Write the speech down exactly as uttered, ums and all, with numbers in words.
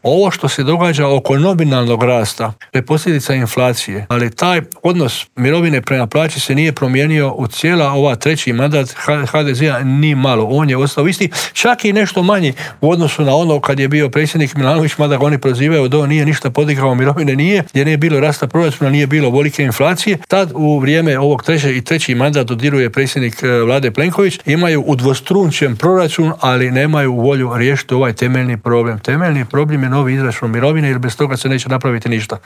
Ovo što se događa oko nominalnog rasta, to je posljedica inflacije, ali taj odnos mirovine prema plaći se nije promijenio u cijela ova treći mandat ha de zea ni malo. On je ostao isti, čak i nešto manji u odnosu na ono kad je bio predsjednik Milanović, mada ga oni prozivaju da on nije ništa podigao mirovine, nije, jer nije bilo rasta proračuna, nije bilo velike inflacije. Tad u vrijeme ovog treće i treći mandat dodiruje predsjednik vlade Plenković, imaju udvostrunčen proračun, ali nemaju volju riješiti ovaj temeljni problem. Temeljni problem je novi izračun mirovine, jer bez toga se neće napraviti ništa.